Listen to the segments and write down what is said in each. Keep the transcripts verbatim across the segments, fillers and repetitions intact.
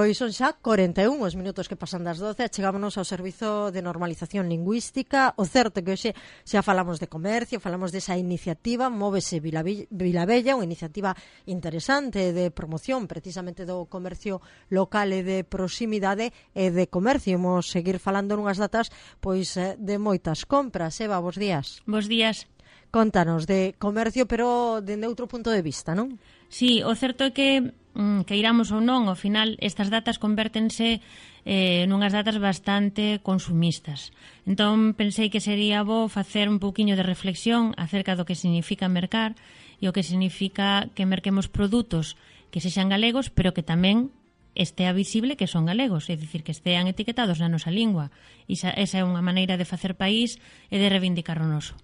Pois son xa corenta e un os minutos que pasan das doce, chegámonos ao Servizo de Normalización Lingüística. O certo que hoxe xa falamos de comercio, falamos desa iniciativa Móvese Vilabella, unha iniciativa interesante de promoción precisamente do comercio local e de proximidade e de comercio. Imos seguir falando nunhas datas pois de moitas compras. Eva, bos días. Bos días. Contanos de comercio, pero dende outro punto de vista, non? Sí, o certo é que que iramos ou non, ao final estas datas convértense eh, nunhas datas bastante consumistas. Entón pensei que sería bo facer un pouquiño de reflexión acerca do que significa mercar e o que significa que merquemos produtos que sexan galegos, pero que tamén estea visible que son galegos, é dicir, que estean etiquetados na nosa lingua. Esa, esa é unha maneira de facer país e de reivindicar o noso.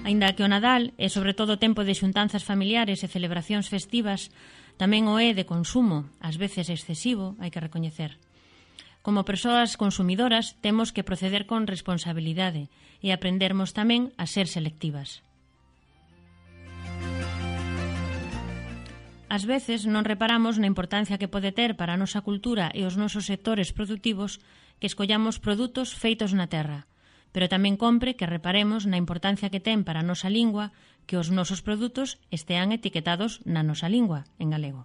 Aínda que o Nadal é sobre todo tempo de xuntanzas familiares e celebracións festivas, tamén o é de consumo, ás veces excesivo, hai que recoñecer. Como persoas consumidoras, temos que proceder con responsabilidade e aprendermos tamén a ser selectivas. Ás veces non reparamos na importancia que pode ter para a nosa cultura e os nosos sectores produtivos que escollamos produtos feitos na terra, pero tamén compre que reparemos na importancia que ten para a nosa lingua que os nosos produtos estean etiquetados na nosa lingua, en galego.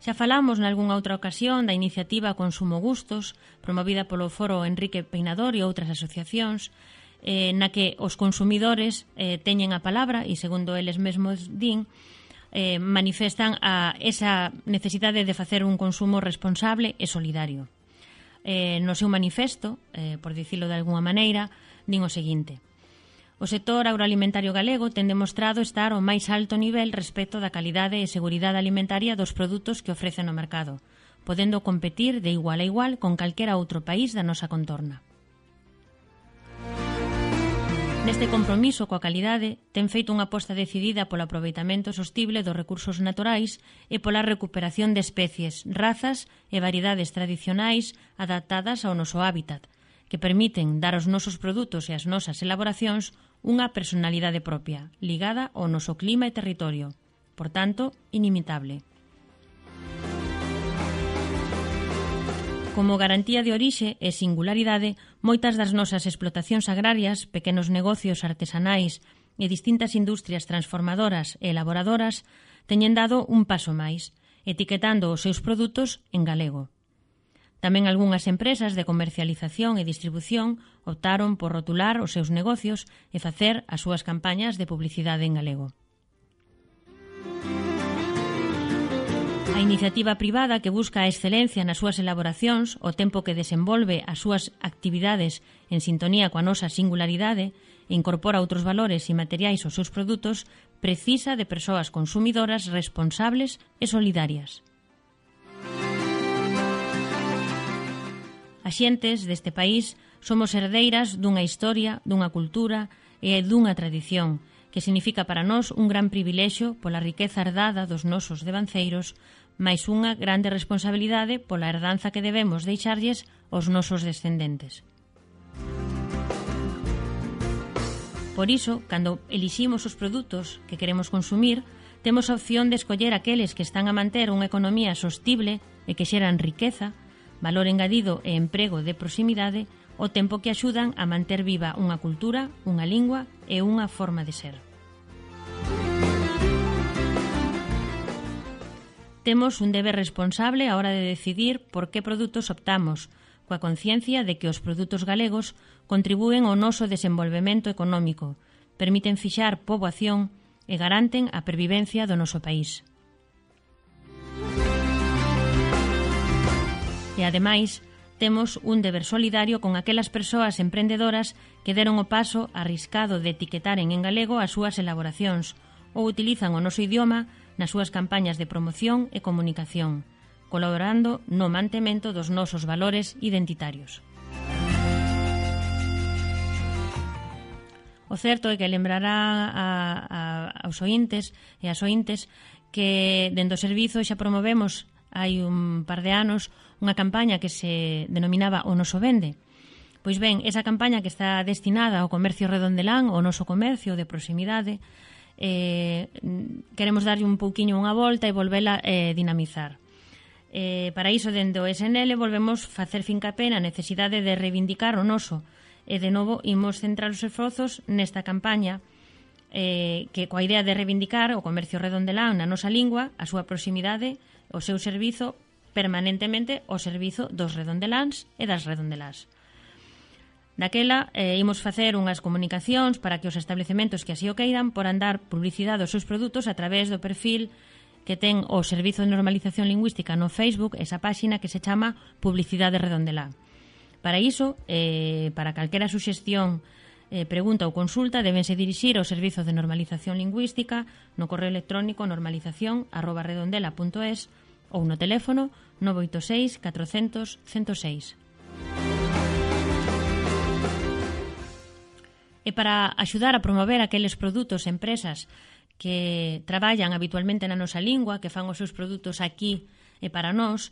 Xa falamos nalgúnha outra ocasión da iniciativa Consumo Gustos, promovida polo Foro Enrique Peinador e outras asociacións, eh, na que os consumidores eh, teñen a palabra e, segundo eles mesmos din, eh, manifestan a esa necesidade de facer un consumo responsable e solidario. Eh, no seu manifesto, eh, por dicilo de alguna maneira, din o seguinte: o sector agroalimentario galego ten demostrado estar ao máis alto nivel respecto da calidade e seguridade alimentaria dos produtos que ofrece no mercado, podendo competir de igual a igual con calquera outro país da nosa contorna. Neste compromiso coa calidade, ten feito unha aposta decidida polo aproveitamento sostible dos recursos naturais e pola recuperación de especies, razas e variedades tradicionais adaptadas ao noso hábitat, que permiten dar aos nosos produtos e ás nosas elaboracións unha personalidade propia, ligada ao noso clima e territorio, por tanto, inimitable. Como garantía de orixe e singularidade, moitas das nosas explotacións agrarias, pequenos negocios artesanais e distintas industrias transformadoras e elaboradoras teñen dado un paso máis, etiquetando os seus produtos en galego. Tamén algunhas empresas de comercialización e distribución optaron por rotular os seus negocios e facer as súas campañas de publicidade en galego. A iniciativa privada que busca a excelencia nas súas elaboracións, o tempo que desenvolve as súas actividades en sintonía coa nosa singularidade e incorpora outros valores e materiais aos seus produtos, precisa de persoas consumidoras responsables e solidarias. As xentes deste país somos herdeiras dunha historia, dunha cultura e dunha tradición, que significa para nós un gran privilexio pola riqueza herdada dos nosos devanceiros, máis unha grande responsabilidade pola herdanza que debemos deixarlles aos nosos descendentes. Por iso, cando eliximos os produtos que queremos consumir, temos a opción de escoller aqueles que están a manter unha economía sostible e que xeran riqueza, valor engadido e emprego de proximidade, o tempo que axudan a manter viva unha cultura, unha lingua e unha forma de ser. Temos un deber responsable á hora de decidir por que produtos optamos, coa conciencia de que os produtos galegos contribúen ao noso desenvolvemento económico, permiten fixar poboación e garanten a pervivencia do noso país. E, ademais, temos un deber solidario con aquelas persoas emprendedoras que deron o paso arriscado de etiquetaren en galego as súas elaboracións ou utilizan o noso idioma nas súas campañas de promoción e comunicación, colaborando no mantemento dos nosos valores identitarios. O certo é que lembrará a, a, aos ointes e as ointes que dentro do servizo xa promovemos hai un par de anos unha campaña que se denominaba O Noso Vende, Pois ben, esa campaña que está destinada ao comercio redondelán, ao noso comercio de proximidade, eh, queremos darlle un pouquiño unha volta e volvela eh, dinamizar. Eh, para iso, dende o S N L, volvemos facer fincapé na necesidade de reivindicar o noso, e de novo imos centrar os esforzos nesta campaña eh, que coa idea de reivindicar o comercio redondelán na nosa lingua, a súa proximidade, o seu servizo permanentemente ao servizo dos redondeláns e das redondelás. Daquela, eh, imos facer unhas comunicacións para que os establecementos que así o queiran poran dar publicidade aos seus produtos a través do perfil que ten o Servizo de Normalización Lingüística no Facebook, esa páxina que se chama Publicidade Redondelá. Para iso, eh, para calquera suxestión, eh, pregunta ou consulta, debense dirixir ao Servizo de Normalización Lingüística no correo electrónico normalización arroba redondela punto es ou no teléfono nove oito seis catrocentos cento seis. E para axudar a promover aqueles produtos e empresas que traballan habitualmente na nosa lingua, que fan os seus produtos aquí e para nós,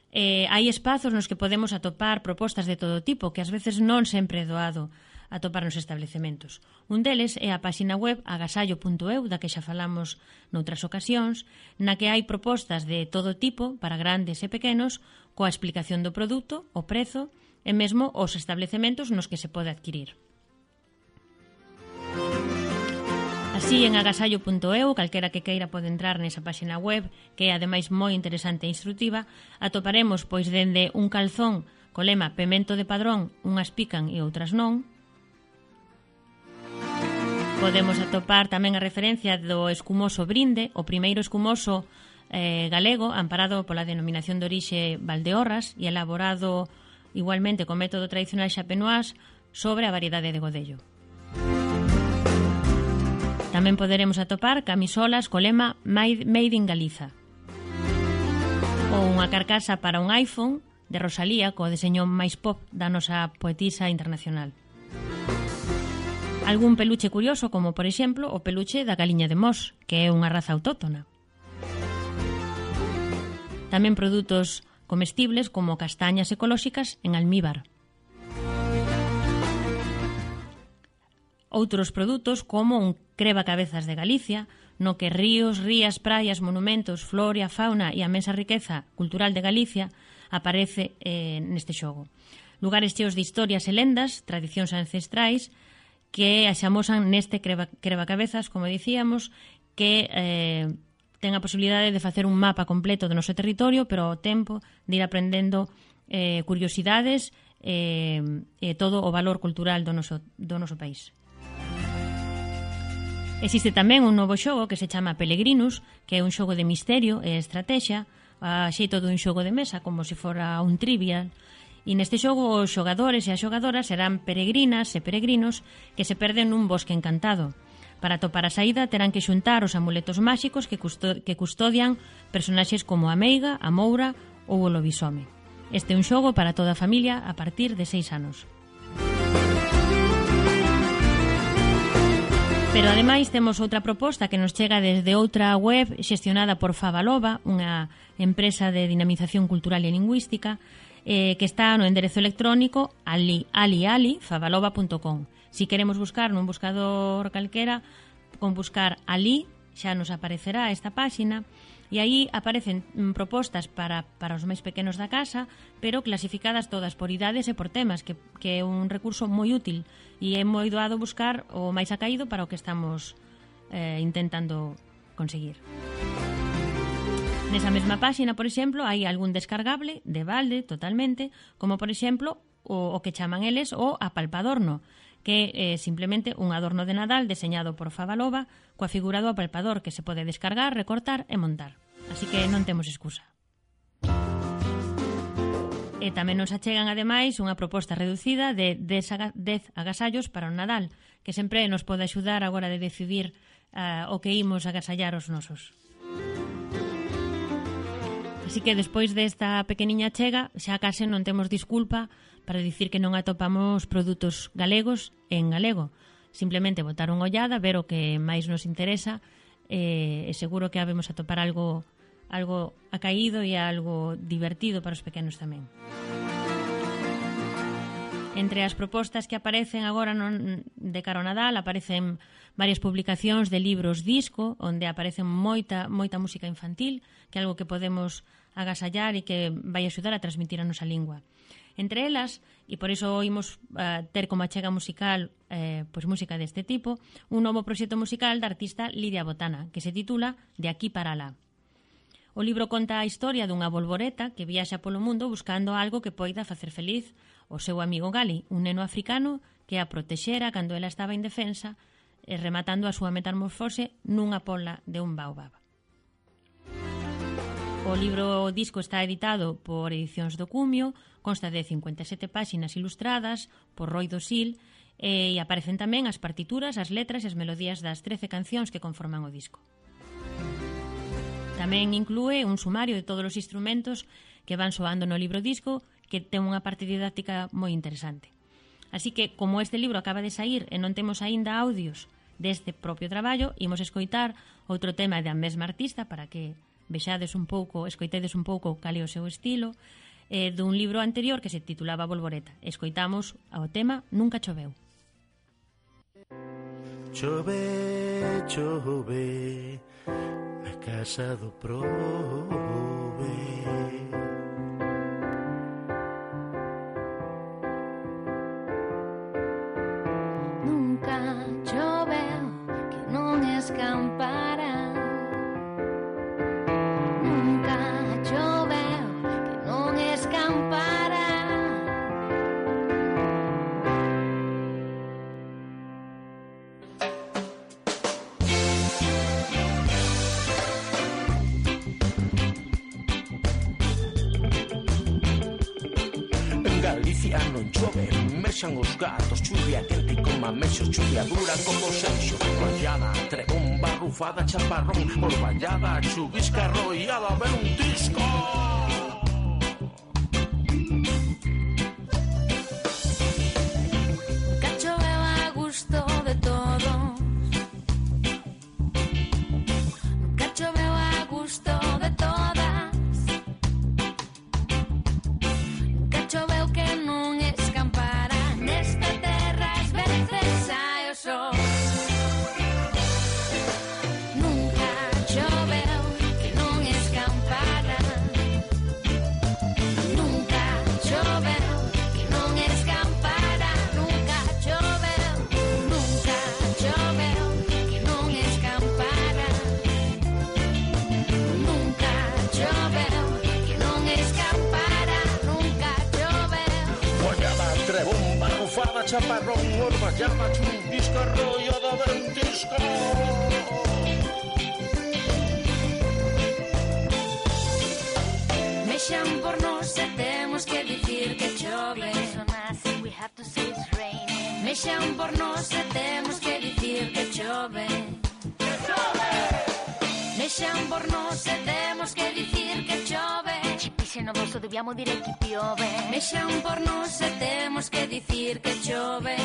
Eh, hai espazos nos que podemos atopar propostas de todo tipo que ás veces non sempre é doado atopar nos establecementos. Un deles é a páxina web agasallo punto eu, da que xa falamos noutras ocasións, na que hai propostas de todo tipo para grandes e pequenos, coa explicación do produto, o prezo e mesmo os establecementos nos que se pode adquirir. Así, en agasallo punto eu, calquera que queira pode entrar nesa páxina web, que é ademais moi interesante e instructiva, atoparemos pois dende un calzón co lema pemento de padrón, unhas pican e outras non. Podemos atopar tamén a referencia do escumoso brinde, o primeiro escumoso eh, galego, amparado pola denominación de orixe Valdeorras e elaborado igualmente co método tradicional xapenoás sobre a variedade de Godello. Tamén poderemos atopar camisolas co lema Made in Galiza ou unha carcasa para un iPhone de Rosalía co deseño máis pop da nosa poetisa internacional. Algún peluche curioso como, por exemplo, o peluche da galiña de Mos, que é unha raza autóctona. Tamén produtos comestibles como castañas ecolóxicas en almíbar. Outros produtos como un crebacabezas de Galicia, no que ríos, rías, praias, monumentos, flora, fauna e a mensa riqueza cultural de Galicia aparece eh, neste xogo. Lugares cheos de historias e lendas, tradicións ancestrais, que axamosan neste creba, crebacabezas, como dicíamos, que eh, ten a posibilidade de facer un mapa completo do noso territorio, pero ao tempo de ir aprendendo eh, curiosidades e eh, todo o valor cultural do noso, do noso país. Existe tamén un novo xogo que se chama Peregrinus, que é un xogo de misterio e estrategia, a xeito dun xogo de mesa, como se fora un trivial. E neste xogo os xogadores e as xogadoras serán peregrinas e peregrinos que se perden nun bosque encantado. Para topar a saída terán que xuntar os amuletos máxicos que, custo que custodian personaxes como a meiga, a moura ou o lobisome. Este é un xogo para toda a familia a partir de seis anos. Pero ademais temos outra proposta que nos chega desde outra web xestionada por Favalova, unha empresa de dinamización cultural e lingüística, eh, que está no enderezo electrónico ali ali ali favalova punto com. Si queremos buscar nun buscador calquera, con buscar ali xa nos aparecerá esta páxina, e aí aparecen propostas para, para os máis pequenos da casa, pero clasificadas todas por idades e por temas, que, que é un recurso moi útil e é moi doado buscar o máis acaído para o que estamos eh, intentando conseguir. Nesa mesma páxina, por exemplo, hai algún descargable de balde totalmente, como por exemplo o, o que chaman eles o apalpadorno, que é eh, simplemente un adorno de Nadal deseñado por Favalova coa figura do apalpador que se pode descargar, recortar e montar. Así que non temos excusa. E tamén nos achegan, ademais, unha proposta reducida de dez agasallos para o Nadal, que sempre nos pode axudar a hora de decidir uh, o que imos agasallar os nosos. Así que despois desta pequeniña chega, xa case non temos disculpa para dicir que non atopamos produtos galegos en galego. Simplemente botar unha ollada, ver o que máis nos interesa, e seguro que habemos atopar algo algo acaído e algo divertido para os pequenos tamén. Entre as propostas que aparecen agora non, de cara ao Nadal, aparecen varias publicacións de libros disco, onde aparecen moita, moita música infantil, que é algo que podemos agasallar e que vai axudar a transmitir a nosa lingua. Entre elas, e por iso imos uh, ter como achega musical eh, pois música deste tipo, un novo proxecto musical da artista Lidia Botana, que se titula De aquí para alá. O libro conta a historia dunha bolboreta que viaxa polo mundo buscando algo que poida facer feliz o seu amigo Gali, un neno africano que a protexera cando ela estaba indefensa, e rematando a súa metamorfose nunha pola de un baobab. O libro o disco está editado por Edicións do Cumio, consta de cincuenta e sete páxinas ilustradas por Roi Dosil, e aparecen tamén as partituras, as letras e as melodías das trece cancións que conforman o disco. Tamén inclúe un sumario de todos os instrumentos que van soando no libro disco, que ten unha parte didáctica moi interesante. Así que, como este libro acaba de saír e non temos aínda audios deste propio traballo, imos escoitar outro tema da mesma artista para que vexades un pouco, escoitedes un pouco cal é o seu estilo, eh, dun libro anterior que se titulaba Bolboreta. Escoitamos ao tema Nunca choveu. Chove, chove, a casa do prove. Nunca choveu que non escampara. Nunca choveu que non escampara. Galicia non chove, mexan os gatos, chuvia quente con mamexos, chuvia dura como sexo, rayada, trebomba, rufada, chaparrón, orballada, chuvisca, arrollada, ver un disco. Nunca choveu a gusto de todos. Nunca choveu a gusto de todas. Nunca choveu que non escampara. Nesta terra ás veces hai o sol. Nunca choveu que non escampara. Nunca choveu que non escampara. Nunca choveu, nunca choveu que non escampara. Nunca choveu que non escampara. Nunca choveu. Rayada, trebomba, rufada, chaparrón, orballada, chuvisca, arrollada, ver un disco. Mexan por nós e temos que dicir que chove. Mexan por nós e temos que dicir que chove. Mexan por nós e temos que dicir que chove. Se no vosso dobbiamo dire che piove. Mexan por nós e temos que dicir que chove.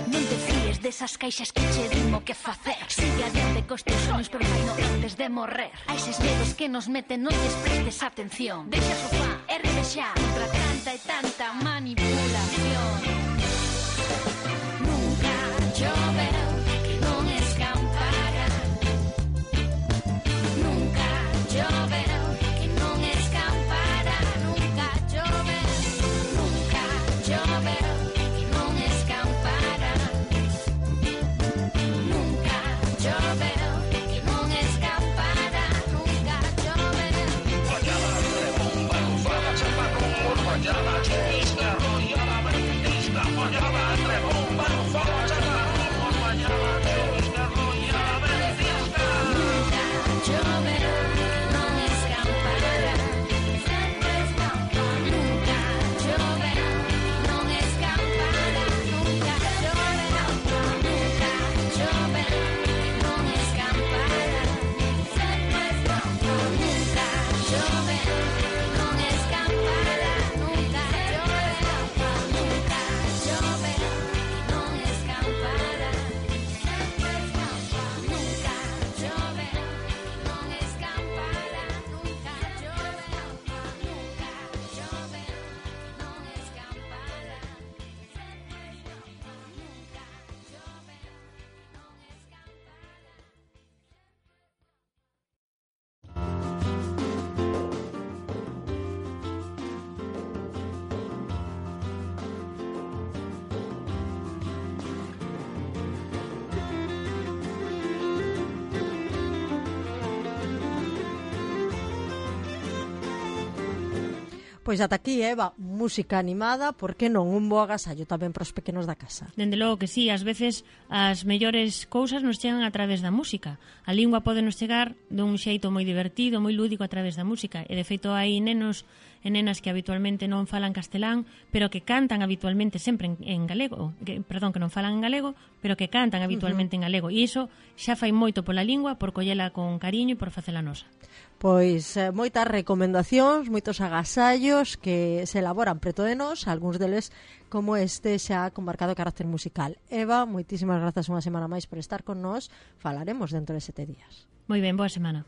Non te fíes desas caixas que che dimo que facer. Sigue adiante cos teus sonhos, pero vai no antes de morrer. A eses medos que nos meten non lles prestes atención. Deixa o sofá e revexa contra tanta e tanta manipulación. Nunca choveu que non escampara. Nunca choveu que non escampara. Nunca choveu, nunca choveu que non escampara. Nunca choveu que non escampara. Nunca choveu. Rayada, trebomba, rufada, chaparrón, orballada, chuvisca, arrollada, ver un disco. Rayada, trebomba, rufada, chaparrón, orballada, chuvisca, arrollada, ver un disco. Nunca choveu que non escampara. Nunca choveu que non escampara. Nunca choveu, nunca choveu que non escampara. Pois ata aquí, Eva, música animada, por que non un bo agasallo tamén para os pequenos da casa? Dende logo que sí, ás veces as mellores cousas nos chegan a través da música. A lingua pode nos chegar dun xeito moi divertido, moi lúdico a través da música. E de feito hai nenos e nenas que habitualmente non falan castelán, pero que cantan habitualmente sempre en, en galego, que, perdón, que non falan en galego, pero que cantan habitualmente uh -huh. en galego. E iso xa fai moito pola lingua, por collela con cariño e por facela nosa. Pois eh, moitas recomendacións, moitos agasallos que se elaboran preto de nós, algúns deles como este xa con marcado carácter musical. Eva, moitísimas grazas unha semana máis por estar con nós. Falaremos dentro de sete días. Moi ben, boa semana.